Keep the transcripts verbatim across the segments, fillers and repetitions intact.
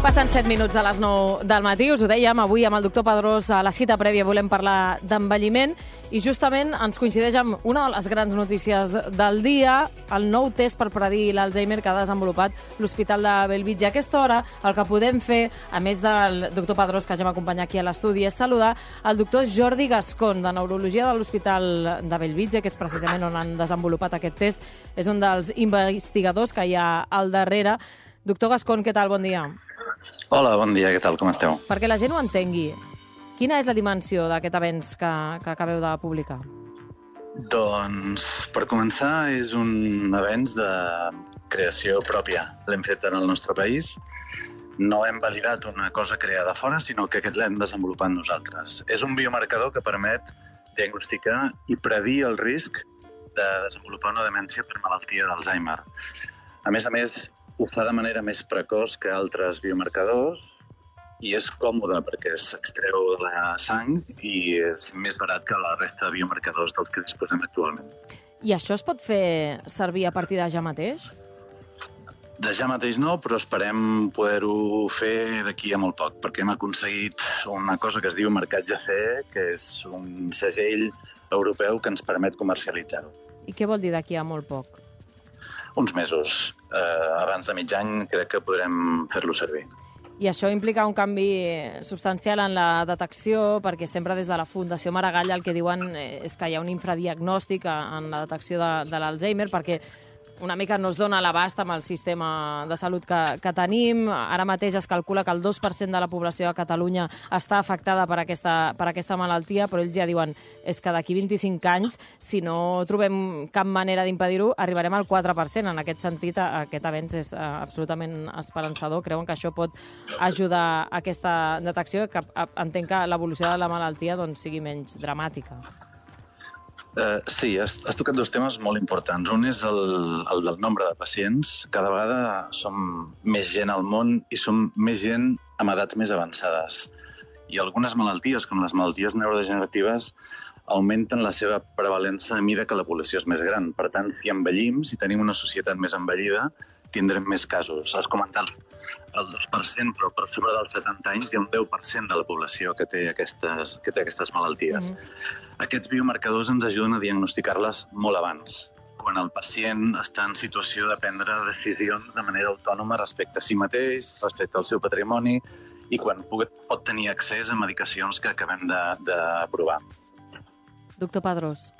Passen set minuts de les nou del matí, us ho dèiem, avui amb el doctor Pedrós a la cita prèvia volem parlar d'envelliment i justament ens coincideix amb una de les grans notícies del dia, el nou test per predir l'Alzheimer que ha desenvolupat l'Hospital de Bellvitge. A aquesta hora el que podem fer, a més del doctor Pedrós que ja m'acompanya aquí a l'estudi, és saludar el doctor Jordi Gascón, de Neurologia de l'Hospital de Bellvitge, que és precisament on han desenvolupat aquest test. És un dels investigadors que hi ha al darrere. Doctor Gascón, què tal? Bon dia. Hola, bon dia, què tal, com esteu? Perquè la gent ho entengui, quina és la dimensió d'aquest avenç que, que acabeu de publicar? Doncs, per començar, és un avenç de creació pròpia. L'hem fet en el nostre país. No hem validat una cosa creada fora, sinó que aquest l'hem desenvolupat nosaltres. És un biomarcador que permet diagnosticar i predir el risc de desenvolupar una demència per malaltia d'Alzheimer. A més a més, ho fa de manera més precoç que altres biomarcadors i és còmode perquè s'extreu de la sang i és més barat que la resta de biomarcadors dels que disposem actualment. I això es pot fer servir a partir de ja mateix? De ja mateix no, però esperem poder-ho fer d'aquí a molt poc, perquè hem aconseguit una cosa que es diu marcatge C E, que és un segell europeu que ens permet comercialitzar-ho. I què vol dir d'aquí a molt poc? Uns mesos. Eh, abans de mig any crec que podrem fer-lo servir. I això implica un canvi substancial en la detecció, perquè sempre des de la Fundació Maragall el que diuen és que hi ha un infradiagnòstic en la detecció de, de l'Alzheimer, perquè una mica no es dona l'abast amb el sistema de salut que, que tenim. Ara mateix es calcula que el dos per cent de la població de Catalunya està afectada per aquesta, per aquesta malaltia, però ells ja diuen és que d'aquí vint-i-cinc anys, si no trobem cap manera d'impedir-ho, arribarem al quatre per cent. En aquest sentit, aquest avenç és absolutament esperançador. Creuen que això pot ajudar a aquesta detecció, que entenc que l'evolució de la malaltia doncs, sigui menys dramàtica. Uh, sí, has, has tocat dos temes molt importants. Un és el, el del nombre de pacients. Cada vegada som més gent al món i som més gent amb edats més avançades. I algunes malalties, com les malalties neurodegeneratives, augmenten la seva prevalença a mida que la població és més gran. Per tant, si envellim, si tenim una societat més envellida, tindrem més casos. Has comentat el dos per cent, però per sobre dels setanta anys hi ha un deu per cent de la població que té aquestes, que té aquestes malalties. Mm-hmm. Aquests biomarcadors ens ajuden a diagnosticar-les molt abans, quan el pacient està en situació de prendre decisions de manera autònoma respecte a si mateix, respecte al seu patrimoni, i quan pot, pot tenir accés a medicacions que acabem d'aprovar. Doctor Pedrós.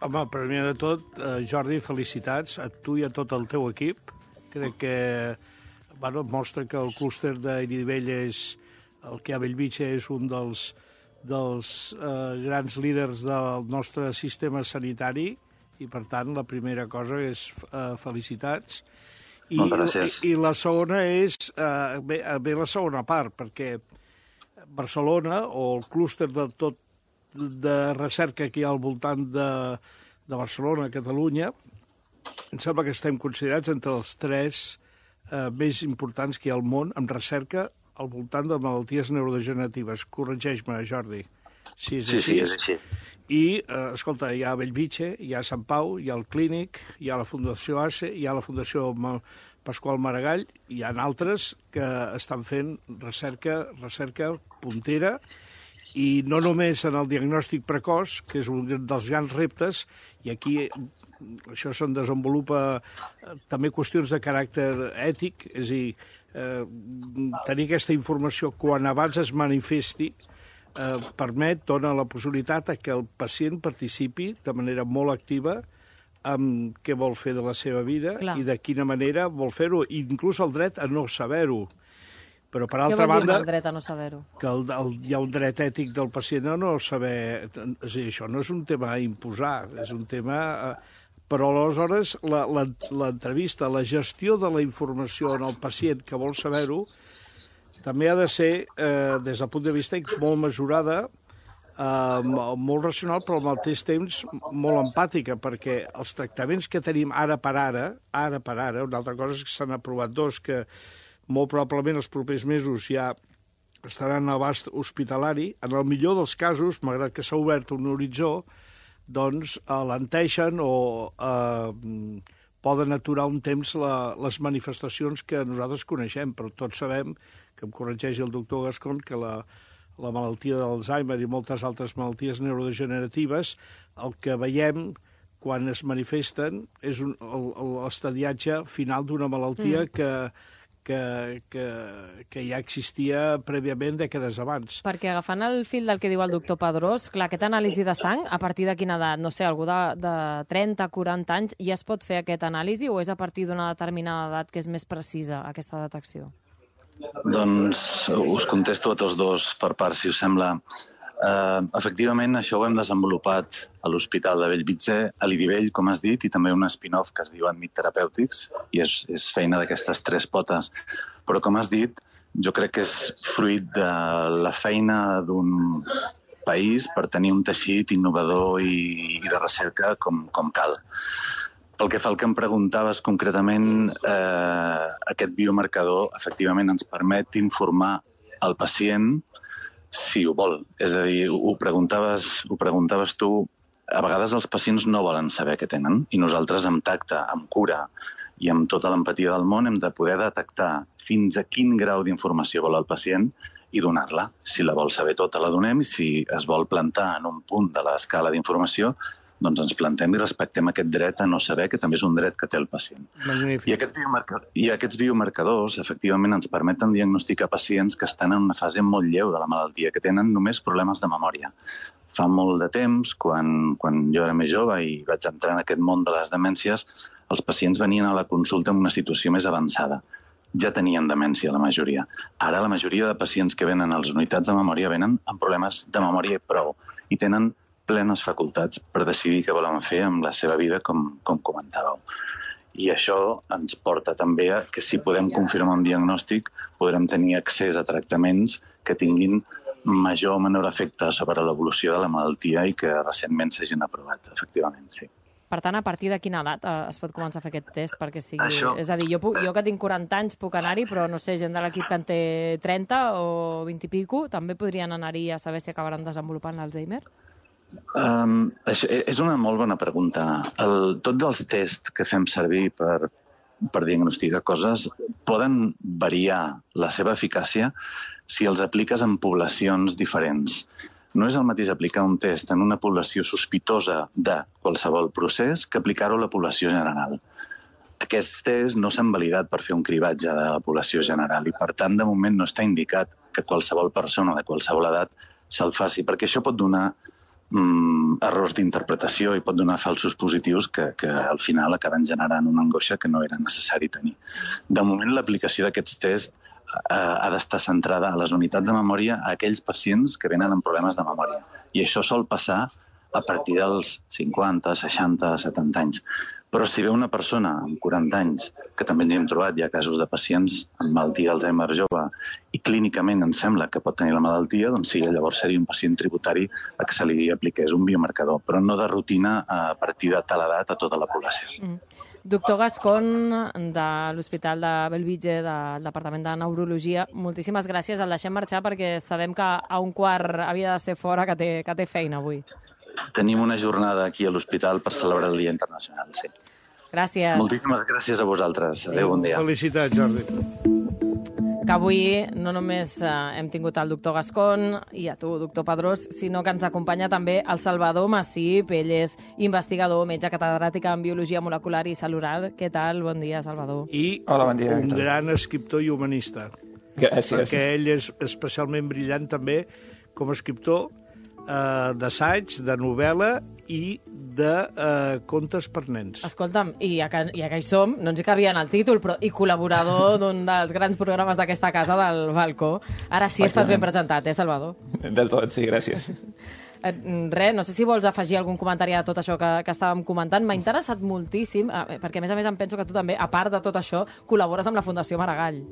Home, primer de tot, eh, Jordi, felicitats a tu i a tot el teu equip. Crec que bueno, mostra que el clúster d'Irivelles, el que a Bellvitge és un dels, dels eh, grans líders del nostre sistema sanitari i, per tant, la primera cosa és eh, felicitats. I, Moltes gràcies. I, i la segona és, eh, bé, bé la segona part, perquè Barcelona, o el clúster de tot de recerca que hi ha al voltant de, de Barcelona, Catalunya, em sembla que estem considerats entre els tres eh, més importants que hi ha al món en recerca al voltant de malalties neurodegeneratives. Corregeix-me, Jordi, si és sí, així. Sí, és així. I, eh, escolta, hi ha Bellvitge, hi ha Sant Pau, hi ha el Clínic, hi ha la Fundació A C E, hi ha la Fundació Pasqual Maragall, hi ha altres que estan fent recerca, recerca puntera, i no només en el diagnòstic precoç, que és un dels grans reptes, i aquí això se'n desenvolupa també qüestions de caràcter ètic, és a dir, eh, tenir aquesta informació quan abans es manifesti eh, permet, dona la possibilitat que el pacient participi de manera molt activa amb què vol fer de la seva vida. Clar. I de quina manera vol fer-ho, inclús el dret a no saber-ho. Però, per altra banda, el dret a no saber-ho? Que el, el, hi ha un dret ètic del pacient a no saber... És dir, això no és un tema a imposar, és un tema... Eh, però, aleshores, l'entrevista, la, la gestió de la informació en el pacient que vol saber-ho, també ha de ser, eh, des del punt de vista molt mesurada, eh, molt racional, però al mateix temps molt empàtica, perquè els tractaments que tenim ara per ara, ara per ara, una altra cosa és que s'han aprovat dos que molt probablement els propers mesos ja estaran a l'abast hospitalari. En el millor dels casos, malgrat que s'ha obert un horitzó, doncs alenteixen o eh, poden aturar un temps la, les manifestacions que nosaltres coneixem, però tots sabem, que em corregeix el doctor Gascon, que la, la malaltia d'Alzheimer i moltes altres malalties neurodegeneratives, el que veiem quan es manifesten és un, l'estadiatge final d'una malaltia mm. que, que, que, que ja existia prèviament dècades abans. Perquè agafant el fil del que diu el doctor Padrós, clar, aquesta anàlisi de sang, a partir de quina edat? No sé, algú de, de trenta, quaranta anys, ja es pot fer aquesta anàlisi o és a partir d'una determinada edat que és més precisa aquesta detecció? Doncs us contesto a tots dos per part, si us sembla. Uh, efectivament, això ho hem desenvolupat a l'Hospital de Bellvitge, a l'Idivell, com has dit, i també un spin-off que es diu Admit Terapèutics, i és, és feina d'aquestes tres potes. Però, com has dit, jo crec que és fruit de la feina d'un país per tenir un teixit innovador i, i de recerca com, com cal. Pel que fa al que em preguntaves concretament, eh, aquest biomarcador efectivament ens permet informar el pacient si ho vol. És a dir, ho preguntaves, ho preguntaves tu, a vegades els pacients no volen saber què tenen i nosaltres amb tacte, amb cura i amb tota l'empatia del món hem de poder detectar fins a quin grau d'informació vol el pacient i donar-la. Si la vol saber tota, la donem i si es vol plantar en un punt de l'escala d'informació, doncs ens plantem i respectem aquest dret a no saber, que també és un dret que té el pacient. Magnífic. I, aquest biomarcador, I aquests biomarcadors, efectivament, ens permeten diagnosticar pacients que estan en una fase molt lleu de la malaltia, que tenen només problemes de memòria. Fa molt de temps, quan, quan jo era més jove i vaig entrar en aquest món de les demències, els pacients venien a la consulta en una situació més avançada. Ja tenien demència, la majoria. Ara la majoria de pacients que venen a les unitats de memòria venen amb problemes de memòria i prou, i tenen plenes facultats per decidir què volen fer amb la seva vida, com, com comentàveu. I això ens porta també a que si podem confirmar un diagnòstic, podrem tenir accés a tractaments que tinguin major o menor efecte sobre l'evolució de la malaltia i que recentment s'hagin aprovat, efectivament, sí. Per tant, a partir de quina edat eh, es pot començar a fer aquest test? Perquè sigui... Això... És a dir, jo, puc, jo que tinc quaranta anys puc anar-hi, però no sé, gent de l'equip que en té trenta o vint i pico, també podrien anar-hi a saber si acabaran desenvolupant l'Alzheimer? Um, això és una molt bona pregunta. El, tots els tests que fem servir per, per diagnosticar coses poden variar la seva eficàcia si els apliques en poblacions diferents. No és el mateix aplicar un test en una població sospitosa de qualsevol procés que aplicar-ho a la població general. Aquests tests no s'han validat per fer un cribatge de la població general i, per tant, de moment no està indicat que qualsevol persona de qualsevol edat se'l faci, perquè això pot donar Mm, errors d'interpretació i pot donar falsos positius que, que al final acaben generant una angoixa que no era necessari tenir. De moment, l'aplicació d'aquests tests eh, ha d'estar centrada a les unitats de memòria a aquells pacients que venen amb problemes de memòria. I això sol passar a partir dels cinquanta, seixanta, setanta anys. Però si ve una persona amb quaranta anys, que també ens hem trobat, hi ha casos de pacients amb malaltia d'Alzheimer jove, i clínicament ens sembla que pot tenir la malaltia, doncs sí, llavors seria un pacient tributari a que se li apliqués un biomarcador, però no de rutina a partir de tal edat a tota la població. Mm. Doctor Gascon, de l'Hospital de Bellvitge, del Departament de Neurologia, moltíssimes gràcies. El deixem marxar perquè sabem que a un quart havia de ser fora, que té, que té feina avui. Tenim una jornada aquí a l'hospital per celebrar el Dia Internacional, sí. Gràcies. Moltíssimes gràcies a vosaltres. Adéu, bon dia. Felicitats, Jordi. Que avui no només eh, hem tingut el doctor Gascon i a tu, doctor Padrós, sinó que ens acompanya també el Salvador Massip. Ell és investigador, metge catedràtic en Biologia Molecular i Celular. Què tal? Bon dia, Salvador. I Hola, bon dia, un Héctor. gran escriptor i humanista. Gràcies. Perquè ell és especialment brillant també com a escriptor eh, d'assaig, de novel·la i de eh, contes per nens. Escolta'm, i ja, que, ja que hi som, no ens hi cabia en el títol, però i col·laborador d'un dels grans programes d'aquesta casa, del Balcó. Ara sí estàs ben presentat, eh, Salvador? Del tot, sí, gràcies. Eh, res, no sé si vols afegir algun comentari a tot això que, que estàvem comentant. M'ha interessat moltíssim, eh, perquè a més a més em penso que tu també, a part de tot això, col·labores amb la Fundació Maragall.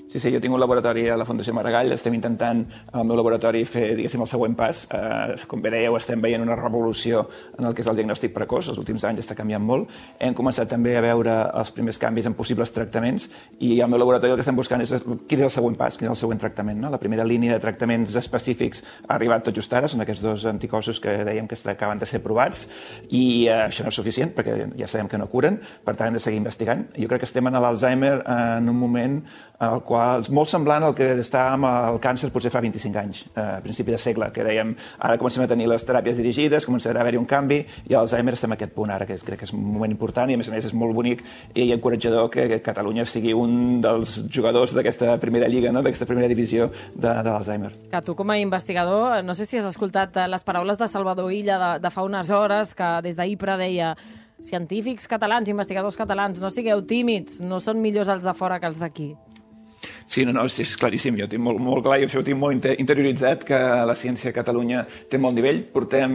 Sí, sí, jo tinc un laboratori a la Fundació Maragall, estem intentant al meu laboratori fer, diguéssim, el següent pas. Eh, com bé dèieu, estem veient una revolució en el que és el diagnòstic precoç, els últims anys està canviant molt. Hem començat també a veure els primers canvis en possibles tractaments i al meu laboratori el que estem buscant és quin és el següent pas, quin és el següent tractament. No? La primera línia de tractaments específics ha arribat tot just ara, són aquests dos anticossos que dèiem que acaben de ser provats i eh, això no és suficient perquè ja sabem que no curen, per tant hem de seguir investigant. Jo crec que estem en l'Alzheimer en un moment en el qual és molt semblant al que està amb el càncer potser fa vint-i-cinc anys, a principi de segle, que dèiem ara comencem a tenir les teràpies dirigides, començarà a haver-hi un canvi i a l'Alzheimer estem en aquest punt ara, que crec que és un moment important i a més a més és molt bonic i encoratjador que Catalunya sigui un dels jugadors d'aquesta primera lliga, no? D'aquesta primera divisió de, de l'Alzheimer. Que tu com a investigador, no sé si has escoltat les paraules de Salvador Illa de, de fa unes hores, que des d'Ipra deia científics catalans, investigadors catalans, no sigueu tímids, no són millors els de fora que els d'aquí. Sí, no, no, sí, és claríssim. Jo tinc molt, molt clar i això ho tinc molt interioritzat, que la ciència a Catalunya té molt nivell. Portem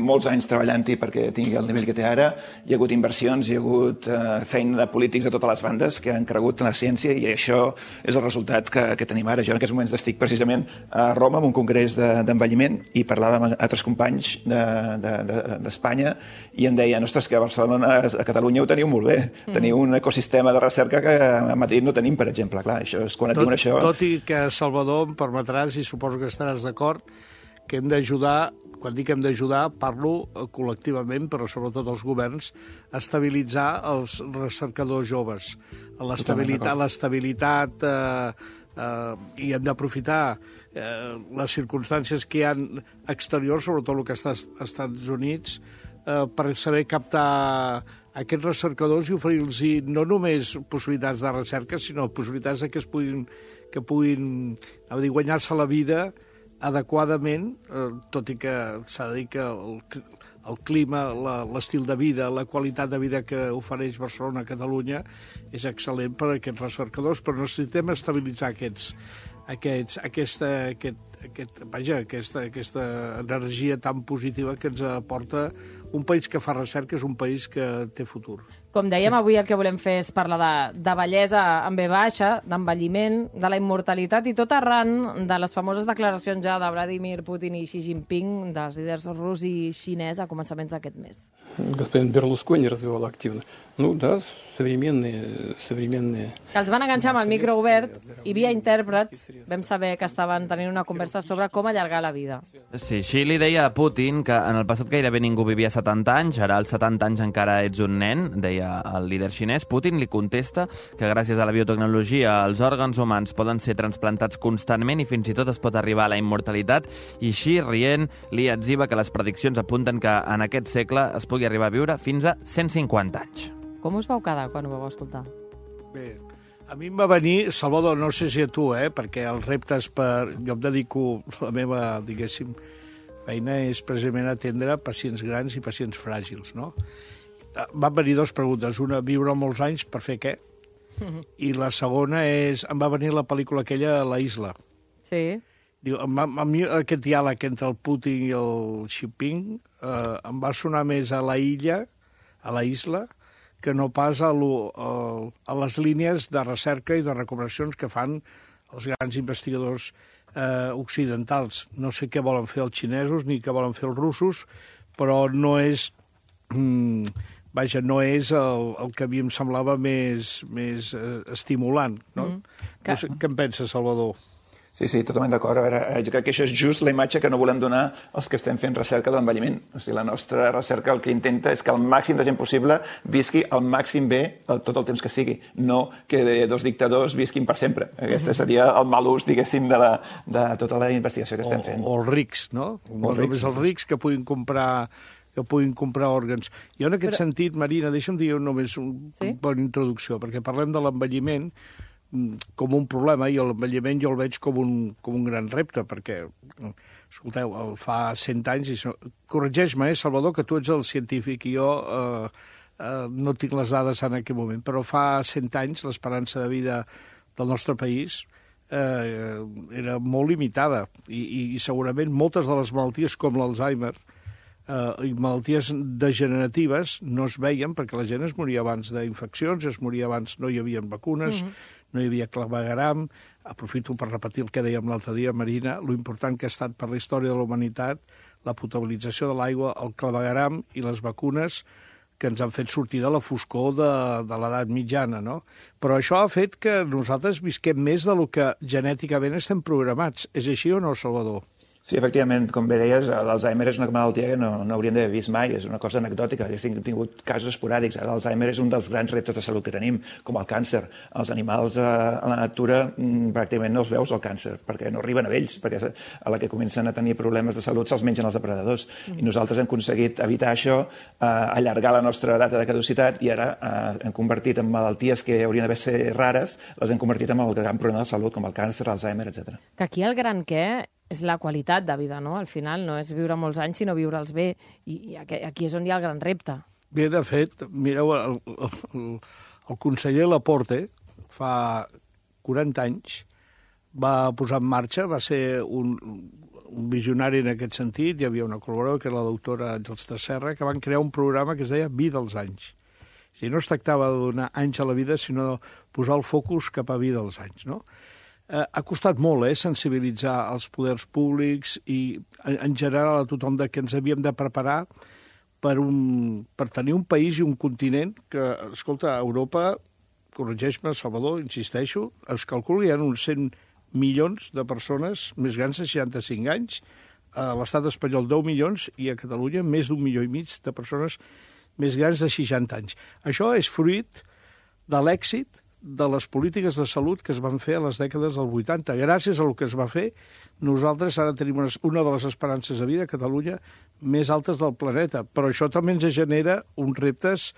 molts anys treballant-hi perquè tingui el nivell que té ara. Hi ha hagut inversions, hi ha hagut eh, feina de polítics de totes les bandes que han cregut en la ciència i això és el resultat que, que tenim ara. Jo en aquests moments estic precisament a Roma en un congrés d'envelliment de, i parlava amb altres companys d'Espanya de, de, i em deien, ostres, que a Barcelona, a Catalunya ho teniu molt bé. Mm. Teniu un ecosistema de recerca que a Madrid no tenim, per exemple. Clar, això és quan et diuen això... Tot i que, Salvador, em permetràs, i suposo que estaràs d'acord, que hem d'ajudar, quan dic hem d'ajudar, parlo col·lectivament, però sobretot els governs, a estabilitzar els recercadors joves. L'estabilitat, l'estabilitat eh, eh, i hem d'aprofitar eh, les circumstàncies que hi ha exteriors, sobretot el que està als Estats Units, eh, per saber captar aquests recercadors i oferir-los no només possibilitats de recerca, sinó possibilitats de que es puguin, que puguin dir, guanyar-se la vida adequadament, eh, tot i que s'ha de dir que el, el clima, l'estil de vida, la qualitat de vida que ofereix Barcelona a Catalunya és excel·lent per a aquests recercadors, però necessitem estabilitzar aquests, aquests, aquesta, aquest, aquest, vaja, aquesta, aquesta energia tan positiva que ens aporta un país que fa recerca, és un país que té futur. Com dèiem, sí. Avui el que volem fer és parlar de, de bellesa en ve baixa, d'envelliment, de la immortalitat i tot arran de les famoses declaracions ja de Vladimir Putin i Xi Jinping, dels líders rus i xinès a començaments d'aquest mes. Господин Берлускони развивал активно. Ну да, современные, современные... Que els van enganxar amb el micro obert i via intèrprets vam saber que estaven tenint una conversa sobre com allargar la vida. Sí, Xi li deia a Putin que en el passat gairebé ningú vivia setanta anys, ara als setanta anys encara ets un nen, deia el líder xinès. Putin li contesta que gràcies a la biotecnologia els òrgans humans poden ser transplantats constantment i fins i tot es pot arribar a la immortalitat, i Xi, rient, li etziba que les prediccions apunten que en aquest segle es pugui arribar a viure fins a cent cinquanta anys. Com us vau quedar quan ho vau escoltar? Bé, a mi em va venir, Salvador, no sé si a tu, eh, perquè els reptes per... Jo em dedico, la meva, diguéssim, feina és precisament atendre pacients grans i pacients fràgils, no? Van venir dues preguntes. Una, viure molts anys, per fer què? I la segona és, em va venir la pel·lícula aquella, La Isla. Sí. Diu, a, a mi aquest diàleg entre el Putin i el Xi Jinping eh, em va sonar més a la illa, a la isla, que no pas a, lo, a, a les línies de recerca i de recomanacions que fan els grans investigadors eh, occidentals. No sé què volen fer els xinesos ni què volen fer els russos, però no és... Mm, vaja, no és el, el que a mi em semblava més, més eh, estimulant, no? Mm, que... No sé, què en penses, Salvador? Sí, sí, totalment d'acord. A veure, jo crec que això és just la imatge que no volem donar als que estem fent recerca de l'envelliment. O sigui, la nostra recerca el que intenta és que el màxim de gent possible visqui al màxim bé tot el temps que sigui, no que dos dictadors visquin per sempre. Aquest seria el mal ús, diguéssim, de, la, de tota la investigació que estem fent. O, o els rics, no? No només els rics que puguin comprar que puguin comprar òrgans. Jo en aquest Però... sentit, Marina, deixa'm dir només una sí? bona introducció, perquè parlem de l'envelliment com un problema, i l'envelliment jo el veig com un, com un gran repte, perquè, escolteu, fa cent anys, i corregeix-me, eh, Salvador, que tu ets el científic, i jo eh, eh, no tinc les dades en aquest moment, però fa cent anys l'esperança de vida del nostre país eh, era molt limitada, i, i, i segurament moltes de les malalties com l'Alzheimer Uh, i malalties degeneratives no es veien perquè la gent es moria abans d'infeccions, es moria abans, no hi havia vacunes, mm-hmm. no hi havia clavegueram. Aprofito per repetir el que dèiem l'altre dia, Marina, lo important que ha estat per la història de la humanitat la potabilització de l'aigua, el clavegueram i les vacunes que ens han fet sortir de la foscor de, de l'edat mitjana, no? Però això ha fet que nosaltres visquem més del que genèticament estem programats. És així o no, Salvador? Sí, efectivament, com bé deies, l'Alzheimer és una malaltia que no, no hauríem d'haver vist mai, és una cosa anecdòtica, hem tingut casos esporàdics. L'Alzheimer és un dels grans reptes de salut que tenim, com el càncer. Els animals a la natura pràcticament no els veus el càncer, perquè no arriben a ells, perquè a la que comencen a tenir problemes de salut se'ls mengen els depredadors. I nosaltres hem aconseguit evitar això, allargar la nostra data de caducitat i ara hem convertit en malalties que haurien d'haver ser rares, les hem convertit en el gran problema de salut, com el càncer, l'Alzheimer, etcètera. Que aquí el gran què és la qualitat de vida, no? Al final no és viure molts anys, sinó viure'ls bé. I aquí és on hi ha el gran repte. Bé, de fet, mireu, el, el, el conseller Laporte, fa quaranta anys, va posar en marxa, va ser un, un visionari en aquest sentit, hi havia una col·laboradora, que era la doctora Àngels Tresserra, que van crear un programa que es deia Vida als anys. O sigui, no es tractava de donar anys a la vida, sinó de posar el focus cap a vida als anys, no? Eh, ha costat molt, eh, sensibilitzar els poders públics i, en general, a tothom de que ens havíem de preparar per, un, per tenir un país i un continent que, escolta, a Europa, corregeix-me, Salvador, insisteixo, es calcula que hi ha uns cent milions de persones més grans de seixanta-cinc anys, a l'estat espanyol deu milions i a Catalunya més d'un milió i mig de persones més grans de seixanta anys. Això és fruit de l'èxit de les polítiques de salut que es van fer a les dècades del vuitanta. Gràcies a el que es va fer, nosaltres ara tenim una, una de les esperances de vida a Catalunya més altes del planeta, però això també ens genera uns reptes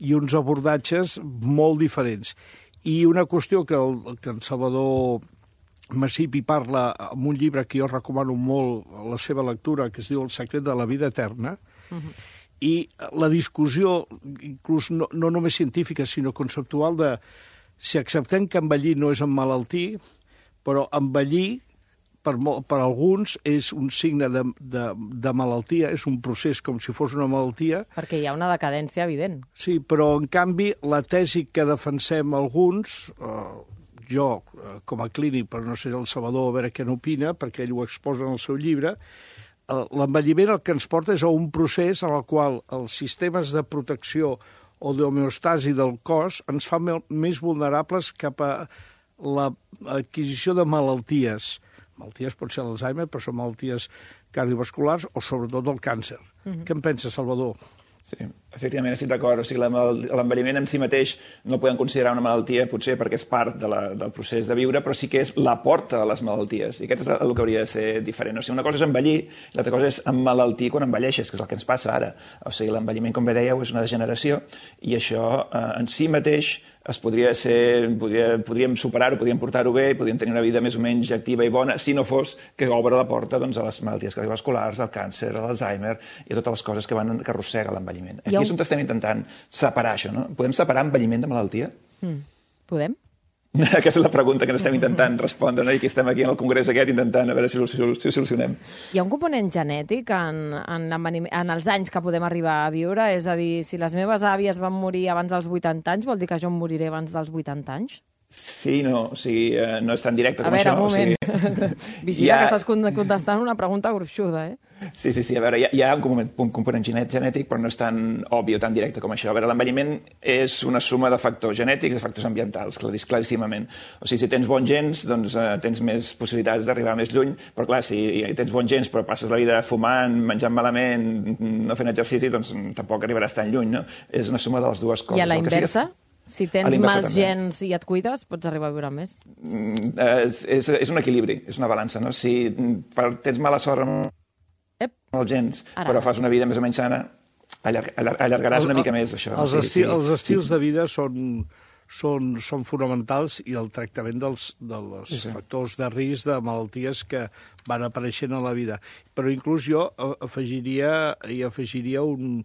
i uns abordatges molt diferents. I una qüestió que, el, que en Salvador Masipi parla en un llibre que jo recomano molt la seva lectura, que es diu El secret de la vida eterna, uh-huh. I la discussió, inclús no, no només científica, sinó conceptual de si acceptem que envellir no és emmalaltir, però envellir per, per alguns és un signe de, de, de malaltia, és un procés com si fos una malaltia. Perquè hi ha una decadència evident. Sí, però en canvi la tesi que defensem alguns, eh, jo eh, com a clínic, però no sé el Salvador a veure què n'opina, perquè ell ho exposa en el seu llibre, eh, l'envelliment el que ens porta és a un procés en el qual els sistemes de protecció o d'homeostasi del cos ens fa més vulnerables cap a l'adquisició de malalties. Malalties pot ser l'Alzheimer, però són malalties cardiovasculars o sobretot el càncer. Mm-hmm. Què en pensa, Salvador? Sí, efectivament estic d'acord. O sigui, l'envelliment en si mateix no el podem considerar una malaltia, potser perquè és part de la, del procés de viure, però sí que és la porta a les malalties. I aquest és el que hauria de ser diferent. O sigui, una cosa és envellir, l'altra cosa és emmalaltir quan envelleixes, que és el que ens passa ara. O sigui, l'envelliment, com bé dèieu, és una degeneració i això eh, en si mateix es podria ser, podria, podríem superar-ho, podríem portar-ho bé, podríem tenir una vida més o menys activa i bona, si no fos que obre la porta doncs, a les malalties cardiovasculars, al càncer, a l'Alzheimer i a totes les coses que van que arrossega l'envelliment. Aquí és on estem intentant separar això, no? Podem separar envelliment de malaltia? Mm. Podem? Aquesta és la pregunta que ens estem intentant respondre, no? I que estem aquí en el congrés aquest intentant a veure si ho, si ho, si ho solucionem. Hi ha un component genètic en, en, en els anys que podem arribar a viure? És a dir, si les meves àvies van morir abans dels vuitanta anys, vol dir que jo em moriré abans dels vuitanta anys? Sí, no, o sigui, eh, no és tan directe com a veure, això. Un moment. O sigui, vigila ha... que estàs contestant una pregunta gruixuda, eh? Sí, sí, sí, a veure, hi ha, hi ha un, component, un component genètic, però no és tan obvi o tan directe com això. A veure, l'envelliment és una suma de factors genètics i de factors ambientals, claríssimament. O sigui, si tens bons gens, doncs eh, tens més possibilitats d'arribar més lluny, però clar, si tens bons gens però passes la vida fumant, menjant malament, no fent exercici, doncs tampoc arribaràs tan lluny, no? És una suma de les dues coses. I a la inversa? Sí, si tens mals també. gens i et cuides, pots arribar a viure més? Mm, és, és, és un equilibri, és una balança, no? Si tens mala sort amb Ep. els gens, Ara. però fas una vida més o menys sana, allarg, allargaràs una mica més, això. Els, esti sí, els estils sí. de vida són, són, són fonamentals i el tractament dels, dels sí, sí. factors de risc de malalties que van apareixent a la vida. Però inclús jo afegiria, hi afegiria un,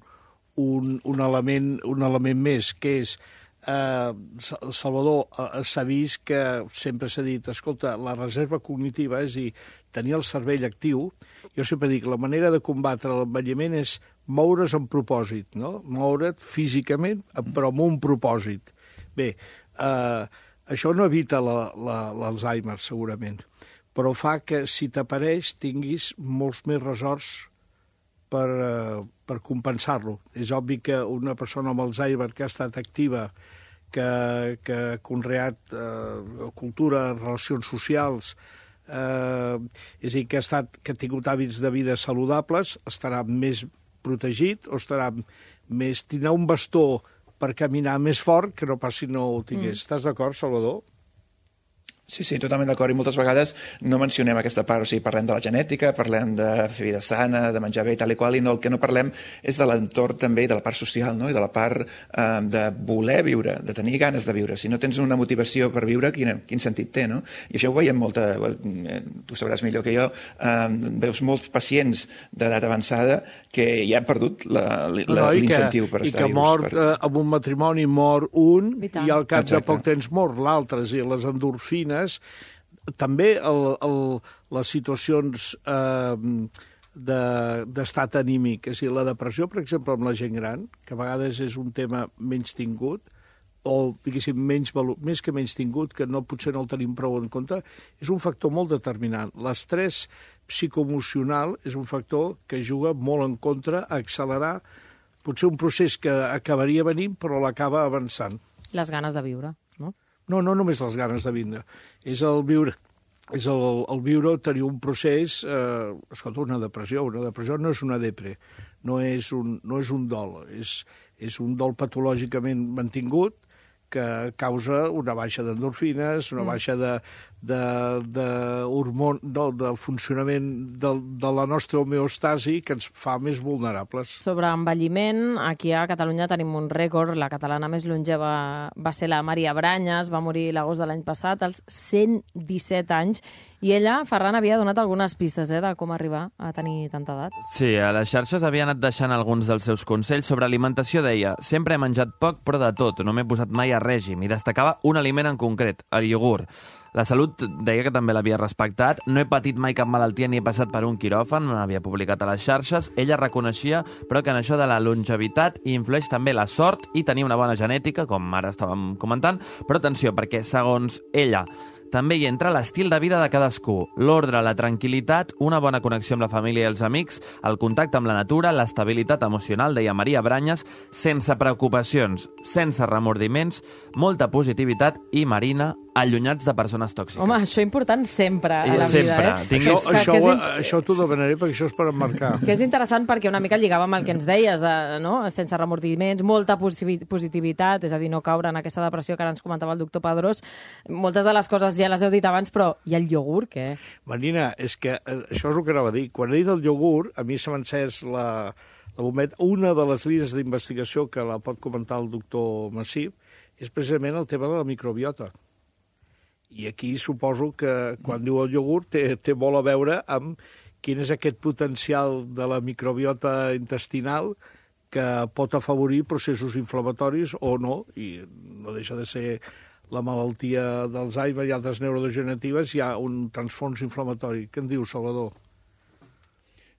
un, un, element, un element més, que és Eh, Salvador, eh, s'ha vist que sempre s'ha dit, escolta, la reserva cognitiva, és a dir, tenir el cervell actiu. Jo sempre dic, la manera de combatre l'envelliment és moure's amb propòsit, no? Moure't físicament, però amb un propòsit. Bé, eh, Això no evita l'Alzheimer, segurament, però fa que si t'apareix tinguis molts més resorts per, uh, per compensar-lo. És obvi que una persona amb Alzheimer que ha estat activa, que, que ha conreat uh, cultura, relacions socials, uh, és a dir, que ha, estat, que ha tingut hàbits de vida saludables, estarà més protegit o estarà més... tindrà un bastó per caminar més fort que no pas si no ho tingués. Mm. Estàs d'acord, Salvador? Sí, sí, totalment d'acord. I moltes vegades no mencionem aquesta part. O sigui, parlem de la genètica, parlem de fer vida sana, de menjar bé i tal i qual, i no, el que no parlem és de l'entorn també, de la part social, no? I de la part eh, de voler viure, de tenir ganes de viure. Si no tens una motivació per viure, quin, quin sentit té, no? I això ho veiem molta... Eh, tu sabràs millor que jo. Eh, veus molts pacients d'edat avançada que ja han perdut l'incentiu no, no, per estar vius. I que mor, per... eh, amb un matrimoni mor un i, i al cap Exacte. de poc temps mor l'altre. I les endorfines també el, el, les situacions eh, d'estat de, anímic, és a dir, la depressió, per exemple, amb la gent gran, que a vegades és un tema menys tingut, o, diguéssim, menys valor, més que menys tingut, que no, potser no el tenim prou en compte, és un factor molt determinant. L'estrès psicoemocional és un factor que juga molt en contra a accelerar potser un procés que acabaria venint, però l'acaba avançant. Les ganes de viure, no? No, no només les ganes de viure, és el viure, és el, el viure, tenir un procés, eh, escolta, una depressió, una depressió no és una depre, no és un, no és un dol, és, és un dol patològicament mantingut que causa una baixa d'endorfines, una mm. baixa de, de, de, hormon, no, de funcionament de, de la nostra homeostasi que ens fa més vulnerables. Sobre envelliment, aquí a Catalunya tenim un rècord. La catalana més longeva va ser la Maria Branyes, va morir l'agost de l'any passat, als cent disset anys, i ella, Ferran, havia donat algunes pistes eh, de com arribar a tenir tanta edat. Sí, a les xarxes havia anat deixant alguns dels seus consells sobre alimentació. Deia, sempre he menjat poc, però de tot, no m'he posat mai a règim, i destacava un aliment en concret, el iogurt. La salut deia que també l'havia respectat. No he patit mai cap malaltia ni he passat per un quiròfan, no l'havia publicat a les xarxes. Ella reconeixia, però, que en això de la longevitat hi influeix també la sort i tenir una bona genètica, com ara estàvem comentant. Però atenció, perquè segons ella també hi entra l'estil de vida de cadascú, l'ordre, la tranquil·litat, una bona connexió amb la família i els amics, el contacte amb la natura, l'estabilitat emocional, deia Maria Branyes, sense preocupacions, sense remordiments, molta positivitat i, Marina, allunyats de persones tòxiques. Home, això és important sempre a la sempre. vida, eh? Tinguis... Això, això, que és... això t'ho demanaré perquè això és per emmarcar. Que és interessant perquè una mica lligava amb el que ens deies, de, no? Sense remordiments, molta positivitat, és a dir, no caure en aquesta depressió que ara ens comentava el doctor Pedrós. Moltes de les coses ja les heu dit abans, però i el iogurt, què? Marina, és que això és el que anava a dir. Quan he dit el iogurt, a mi se m'encès la, la bombeta. Una de les línies d'investigació que la pot comentar el doctor Massip és precisament el tema de la microbiota. I aquí suposo que quan diu el iogurt té, té molt a veure amb quin és aquest potencial de la microbiota intestinal que pot afavorir processos inflamatoris o no, i no deixa de ser la malaltia d'Alzheimer i altres neurodegeneratives, hi ha un transfons inflamatori. Què en diu, Salvador?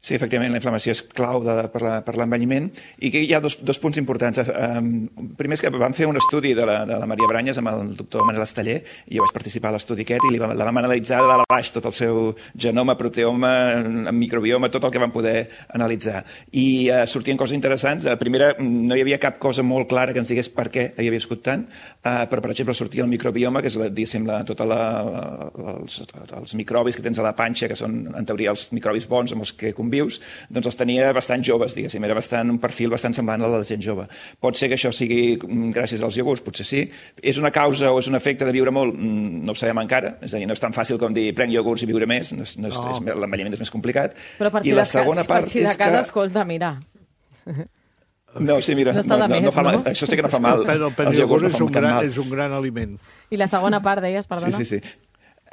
Sí, efectivament, la inflamació és clau de, per l'envelliment i que hi ha dos, dos punts importants. Um, primer és que vam fer un estudi de la, de la Maria Branyes amb el doctor Manel Esteller i jo vaig participar a l'estudi aquest i li vam, la vam analitzar de dalt a baix tot el seu genoma, proteoma, microbioma, tot el que vam poder analitzar. I uh, sortien coses interessants. La primera, no hi havia cap cosa molt clara que ens digués per què havia viscut tant, uh, però, per exemple, sortia el microbioma, que és, diguéssim, la, tota la, els, els microbis que tens a la panxa, que són, en teoria, els microbis bons amb els que vius, doncs els tenia bastant joves, diguéssim, era bastant, un perfil bastant semblant a la de gent jove. Pot ser que això sigui gràcies als iogurts, potser sí. És una causa o és un efecte de viure molt? No ho sabem encara, és a dir, no és tan fàcil com dir prenc iogurts i viure més, no és, no és, no. és, l'envelliment és més complicat. Però per si, I la segona part per si de casa, que... escolta, mira... No, sí, mira, no, no, no, no fa mal. Això sí que no fa mal. Però el iogurt no és, un gran, és un gran aliment. I la segona part, deies, perdona? Sí, sí, sí.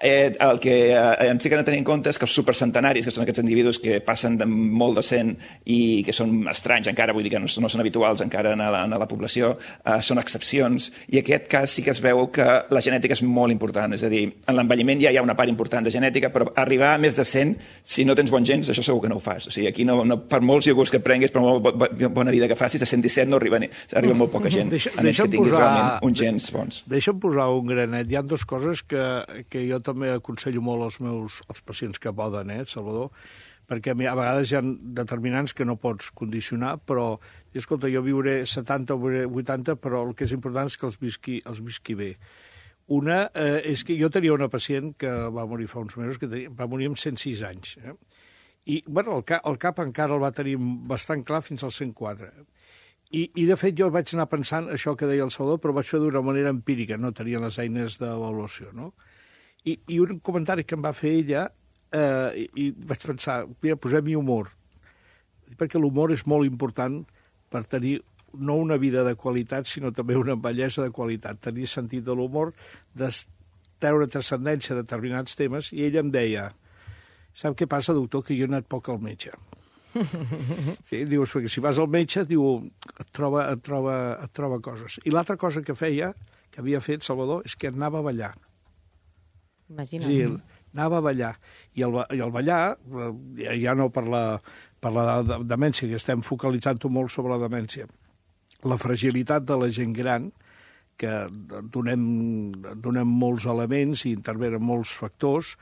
Eh, el que eh, ens sí que hem de tenir en compte és que els supercentenaris, que són aquests individus que passen de molt de cent i que són estranys encara, vull dir que no, no són habituals encara en la, en la població, eh, són excepcions, i en aquest cas sí que es veu que la genètica és molt important, és a dir, en l'envelliment ja hi ha una part important de genètica, però arribar a més de cent, si no tens bons gens, això segur que no ho fas. O sigui, aquí no, no, per molts iogurts que prenguis, per molt bo, bo, bona vida que facis, a cent disset no arriba, arriba molt poca gent, Deixa, a menys que tinguis posar, realment uns gens bons. Deixa'm posar un granet. Hi ha dues coses que, que jo també aconsello molt als meus als pacients que poden, eh, Salvador, perquè a vegades hi ha determinants que no pots condicionar, però, escolta, jo viuré setanta o vuitanta, però el que és important és que els visqui, els visqui bé. Una eh, és que jo tenia una pacient que va morir fa uns mesos, que tenia, va morir amb cent sis anys. Eh? I, bueno, el cap, el cap encara el va tenir bastant clar fins als cent quatre. I, I, de fet, jo vaig anar pensant això que deia el Salvador, però vaig fer d'una manera empírica, no tenia les eines d'avaluació, no? I, I un comentari que em va fer ella, eh, i, i vaig pensar, mira, posem-hi humor, perquè l'humor és molt important per tenir no una vida de qualitat, sinó també una bellesa de qualitat, tenir sentit de l'humor, de treure transcendència de determinats temes, i ella em deia, sap què passa, doctor, que jo he anat poc al metge. Sí, dius, perquè si vas al metge, diu, et troba, et troba, et troba coses. I l'altra cosa que feia, que havia fet Salvador, és que anava a ballar. Imagina't. Sí, anava a ballar. I el, i el ballar, ja no per la, per la demència, que estem focalitzant-ho molt sobre la demència, la fragilitat de la gent gran, que donem, donem molts elements i intervenen molts factors,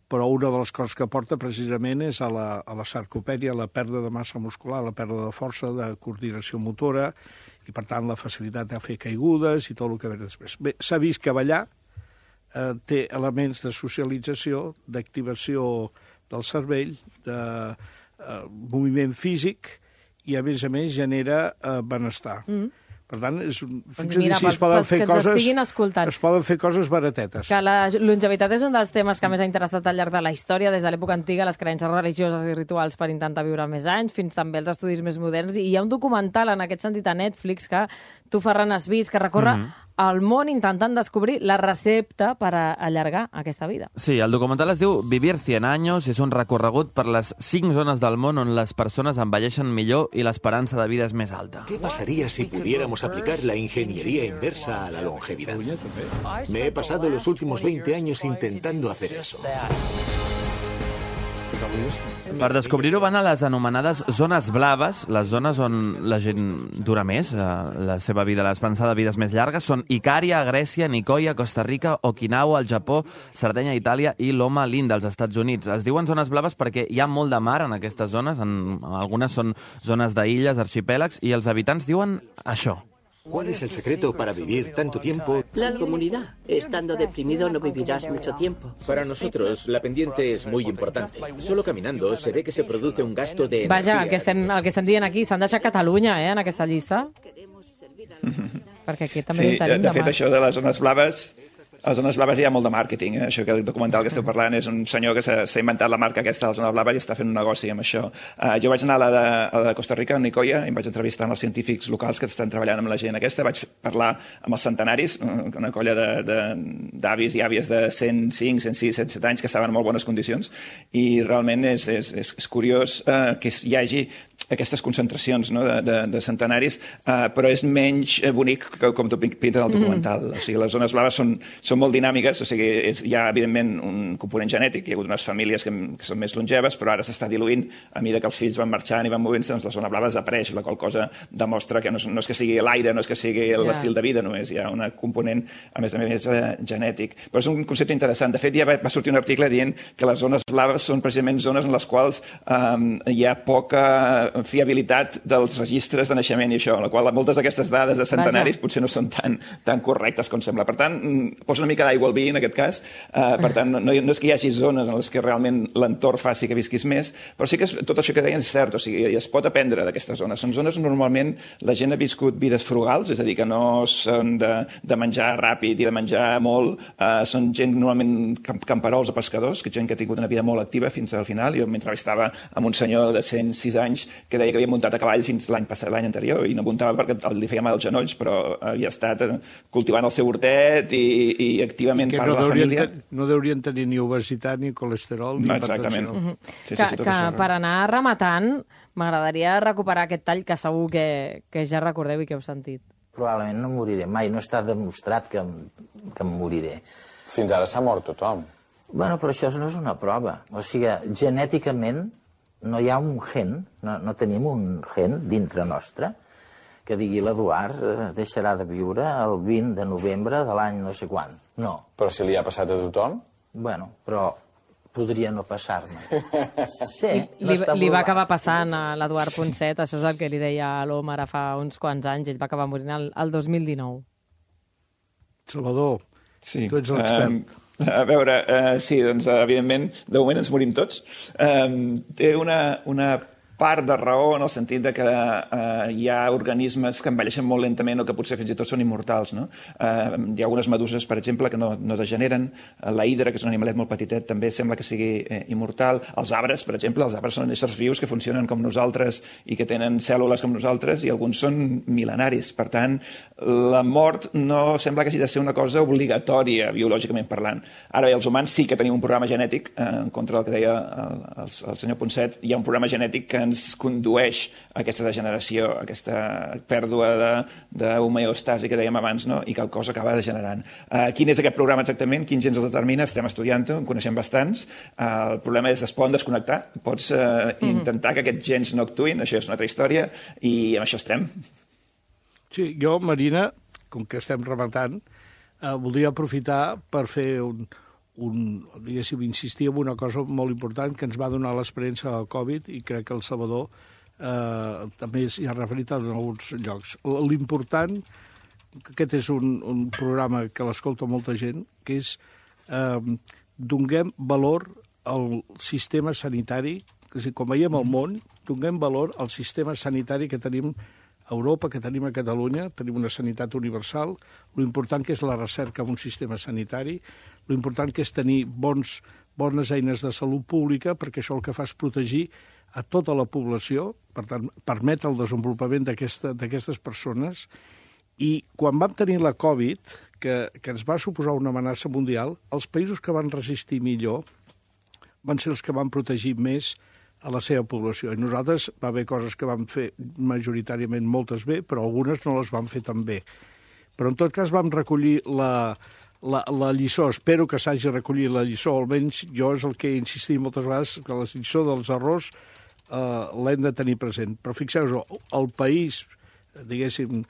però una de les coses que porta precisament és a la, a la sarcopènia, a la pèrdua de massa muscular, la pèrdua de força, de coordinació motora, i per tant la facilitat de fer caigudes i tot el que ve després. Bé, s'ha vist que ballar eh, té elements de socialització, d'activació del cervell, de eh, moviment físic, i a més a més genera eh, benestar. Mm. Per tant, és, doncs mira, si es poden fer coses, es poden fer coses baratetes. Que la longevitat és un dels temes que més ha interessat al llarg de la història, des de l'època antiga, les creences religioses i rituals per intentar viure més anys, fins també els estudis més moderns. I hi ha un documental en aquest sentit a Netflix que tu, Ferran, has vist, que recorre mm -hmm. el món intentant descobrir la recepta per a allargar aquesta vida. Sí, el documental es diu Vivir cien años i és un recorregut per les cinc zones del món on les persones envelleixen millor i l'esperança de vida és més alta. ¿Qué pasaría si pudiéramos aplicar la ingeniería inversa a la longevidad? Me he pasado los últimos veinte años intentando hacer eso. Per descobrir-ho van a les anomenades zones blaves, les zones on la gent dura més, eh, la seva vida, l'esperança de vides més llargues, són Icària, Grècia, Nicoya, Costa Rica, Okinawa, al Japó, Sardenya, Itàlia i Loma Linda, als Estats Units. Es diuen zones blaves perquè hi ha molt de mar en aquestes zones, en, algunes són zones d'illes, arxipèlags, i els habitants diuen això. ¿Cuál es el secreto para vivir tanto tiempo? La comunidad. Estando deprimido no vivirás mucho tiempo. Para nosotros, la pendiente es muy importante. Solo caminando se ve que se produce un gasto de energia. Vaja, el que estem, el que estem dient aquí, s'han deixat Catalunya, eh, en aquesta llista. Mm-hmm. Perquè aquí també sí, tenim de, de fet, mar. això de les zones blaves... A les zones blaves hi ha molt de màrqueting, eh? Això que el documental que esteu parlant és un senyor que s'ha inventat la marca aquesta de la zona blava i està fent un negoci amb això. Uh, jo vaig anar a la, de, a la de Costa Rica, a Nicoya, i em vaig entrevistar amb els científics locals que estan treballant amb la gent aquesta. Vaig parlar amb els centenaris, una colla d'avis i àvies de cent cinc, cent sis, cent set anys que estaven en molt bones condicions, i realment és, és, és, és curiós uh, que hi hagi aquestes concentracions, no?, de, de, de centenaris, uh, però és menys bonic que com tu pintes al documental. Mm. O sigui, les zones blaves són, són molt dinàmiques, o sigui, és, hi ha, evidentment, un component genètic, hi ha hagut unes famílies que, que són més longeves, però ara s'està diluint a mesura que els fills van marxant i van movent-se, doncs la zona blava desapareix, la qual cosa demostra que no, no és que sigui l'aire, no és que sigui l'estil de vida, només hi ha un component, a més a més, genètic. Però és un concepte interessant. De fet, ja va, va sortir un article dient que les zones blaves són precisament zones en les quals um, hi ha poca fiabilitat dels registres de naixement i això, en la qual moltes d'aquestes dades de centenaris Vaja. potser no són tan, tan correctes com sembla. Per tant, posa una mica d'aigua al vi en aquest cas, uh, per tant, no, no és que hi hagi zones en les que realment l'entorn faci que visquis més, però sí que és, tot això que deien és cert, o sigui, es pot aprendre d'aquestes zones. Són zones on normalment la gent ha viscut vides frugals, és a dir, que no són de, de menjar ràpid i de menjar molt, uh, són gent normalment camperols o pescadors, que gent que ha tingut una vida molt activa fins al final. Jo m'entrevistava amb un senyor de cent sis anys que deia que havia muntat a cavall fins l'any passat, l'any anterior, i no muntava perquè li feia mal als genolls, però havia estat cultivant el seu hortet i, i activament part no de la família. Ten, no deurien tenir ni obesitat, ni colesterol, ni no, exactament. hipertensió. Uh-huh. sí, sí, que, sí, que això, per anar rematant, m'agradaria recuperar aquest tall que segur que, que ja recordeu i que heu sentit. Probablement no moriré mai, no està demostrat que, que em moriré. Fins ara s'ha mort tothom. Bueno, però això no és una prova. O sigui, genèticament no hi ha un gen, no, no tenim un gen dintre nostre que digui l'Eduard eh, deixarà de viure el vint de novembre de l'any no sé quan. No. Però si li ha passat a tothom? Bueno, però podria no passar-me. Sí, no li, li va acabar passant a l'Eduard Ponset, això és el que li deia a l'Om ara fa uns quants anys, ell va acabar morint el, el dos mil dinou. Salvador, sí. tu ets l'expert. Um... A veure, uh, sí, doncs, evidentment, de moment ens morim tots. Um, té una, una part de raó en el sentit de que uh, hi ha organismes que envelleixen molt lentament o que potser fins i tot són immortals, no? Uh, hi ha algunes meduses, per exemple, que no, no degeneren. Uh, la hidra, que és un animalet molt petitet, també sembla que sigui eh, immortal. Els arbres, per exemple, els arbres són éssers vius que funcionen com nosaltres i que tenen cèl·lules com nosaltres, i alguns són mil·lenaris. Per tant, la mort no sembla que hagi de ser una cosa obligatòria, biològicament parlant. Ara bé, els humans sí que tenim un programa genètic, eh, en contra del que deia el, el, el senyor Ponset, hi ha un programa genètic que ens condueix a aquesta degeneració, a aquesta pèrdua d'homeostasi que dèiem abans, no? I que el cos acaba degenerant. Uh, quin és aquest programa exactament? Quin gens el determina? Estem estudiant-ho, en coneixem bastants. Uh, el problema és que es poden desconnectar. Pots uh, mm-hmm. intentar que aquests gens no actuïn, això és una altra història, i amb això estem. Sí, jo, Marina, com que estem rematant, eh, voldria aprofitar per fer un, un, diguéssim, insistir en una cosa molt important que ens va donar l'experiència del Covid, i crec que el Salvador eh, també s'hi ha referit en alguns llocs. L'important, aquest és un, un programa que l'escolta molta gent, que és eh, donem valor al sistema sanitari, és a dir, quan veiem el món, donem valor al sistema sanitari que tenim a Europa, que tenim a Catalunya, tenim una sanitat universal, l'important que és la recerca en un sistema sanitari, l'important que és tenir bons, bones eines de salut pública, perquè això el que fa és protegir a tota la població, per tant, permet el desenvolupament d'aquestes persones, i quan vam tenir la Covid, que, que ens va suposar una amenaça mundial, els països que van resistir millor van ser els que van protegir més a la seva població. I nosaltres va haver coses que vam fer majoritàriament moltes bé, però algunes no les vam fer tan bé. Però en tot cas vam recollir la, la, la lliçó. Espero que s'hagi recollit la lliçó, almenys jo és el que he insistit moltes vegades, que la lliçó dels errors eh, l'hem de tenir present. Però fixeu-vos, el país, diguéssim,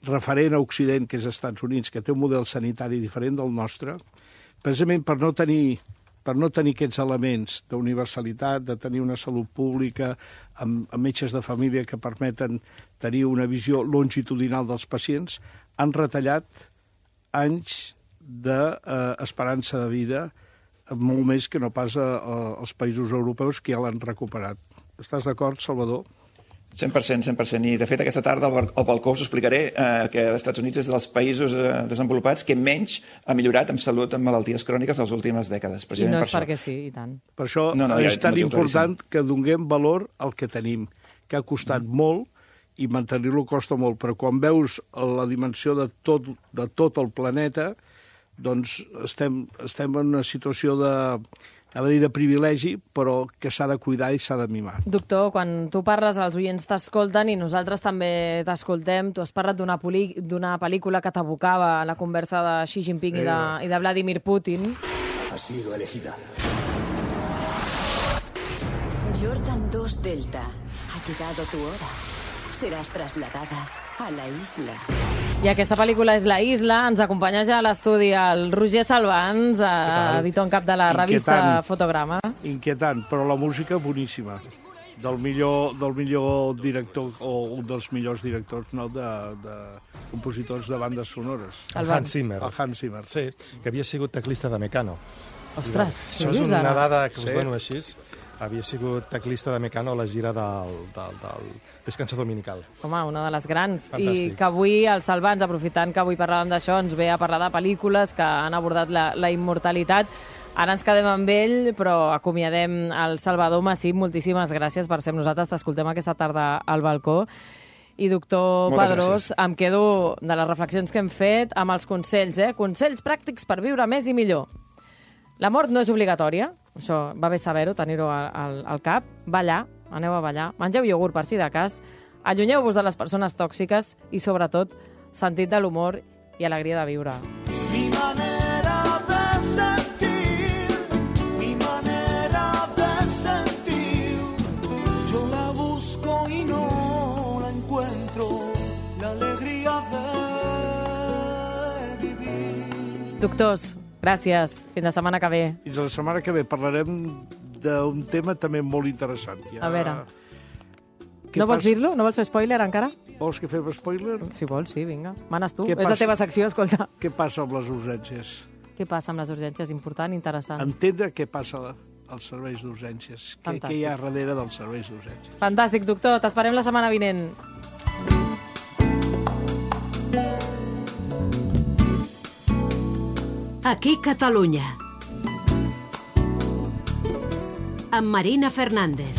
referent a Occident, que és als Estats Units, que té un model sanitari diferent del nostre, precisament per no tenir per no tenir aquests elements d'universalitat, de tenir una salut pública amb, amb metges de família que permeten tenir una visió longitudinal dels pacients, han retallat anys d'esperança de vida, molt més que no pas a, a, als països europeus que ja l'han recuperat. Estàs d'acord, Salvador? cent per cent, cent per cent. I, de fet, aquesta tarda al balcó us explicaré eh, que els Estats Units és dels països eh, desenvolupats que menys ha millorat en salut en malalties cròniques les últimes dècades. I no és per perquè sí, i tant. Per això no, no, és tan important que donem valor al que tenim, que ha costat mm. molt i mantenir-lo costa molt, però quan veus la dimensió de tot, de tot el planeta, doncs estem, estem en una situació de... anava a dir de privilegi, però que s'ha de cuidar i s'ha de mimar. Doctor, quan tu parles, els oients t'escolten i nosaltres també t'escoltem. Tu has parlat d'una pel·lícula que t'abocava a la conversa de Xi Jinping eh. i, de, i de Vladimir Putin. Ha sido elegida. Jordan dos Delta. Ha llegado tu hora. Serás trasladada a la isla. I aquesta pel·lícula és La Isla. Ens acompanya ja a l'estudi el Roger Salvans, editor en cap de la revista Inquietant. Fotograma. Inquietant, però la música boníssima. Del millor, del millor director, o un dels millors directors, no?, de, de compositors de bandes sonores. El Hans Zimmer. El Hans Zimmer. Sí, que havia sigut teclista de Mecano. Ostres, això és una dada que us sí. dono així. Havia sigut teclista de Mecano a la gira del, del, del Descanso Dominical. Home, una de les grans. Fantàstic. I que avui, el Salvans, aprofitant que avui parlàvem d'això, ens ve a parlar de pel·lícules que han abordat la, la immortalitat. Ara ens quedem amb ell, però acomiadem el Salvador Massip. Moltíssimes gràcies per ser amb nosaltres. T'escoltem aquesta tarda al balcó. I, doctor Moltes Padrós, gràcies. em quedo de les reflexions que hem fet amb els consells, eh? Consells pràctics per viure més i millor. La mort no és obligatòria, això va bé saber-ho, tenir-ho al, al, al cap. Ballar, aneu a ballar. Mengeu iogurt per si de cas. Allunyeu-vos de les persones tòxiques i, sobretot, sentit de l'humor i alegria de viure. Mi manera de sentir, mi manera de sentir, yo la busco y no la encuentro, la alegría de vivir. Doctors, gràcies. Fins la setmana que ve. Fins la setmana que ve parlarem d'un tema també molt interessant. Ja... A veure. Què No vols passa- dir-lo? No vols fer spoiler encara? Vols que fem spoiler? Si vols, sí, vinga. Manes tu. Què És la passa? teva secció, escolta. Què passa amb les urgències? Què passa amb les urgències? Important, interessant. Entendre què passa als serveis d'urgències. Què, Fantàstic. què hi ha darrere dels serveis d'urgències. Fantàstic, doctor. T'esperem la setmana vinent. Aquí Catalunya. Amb Marina Fernández.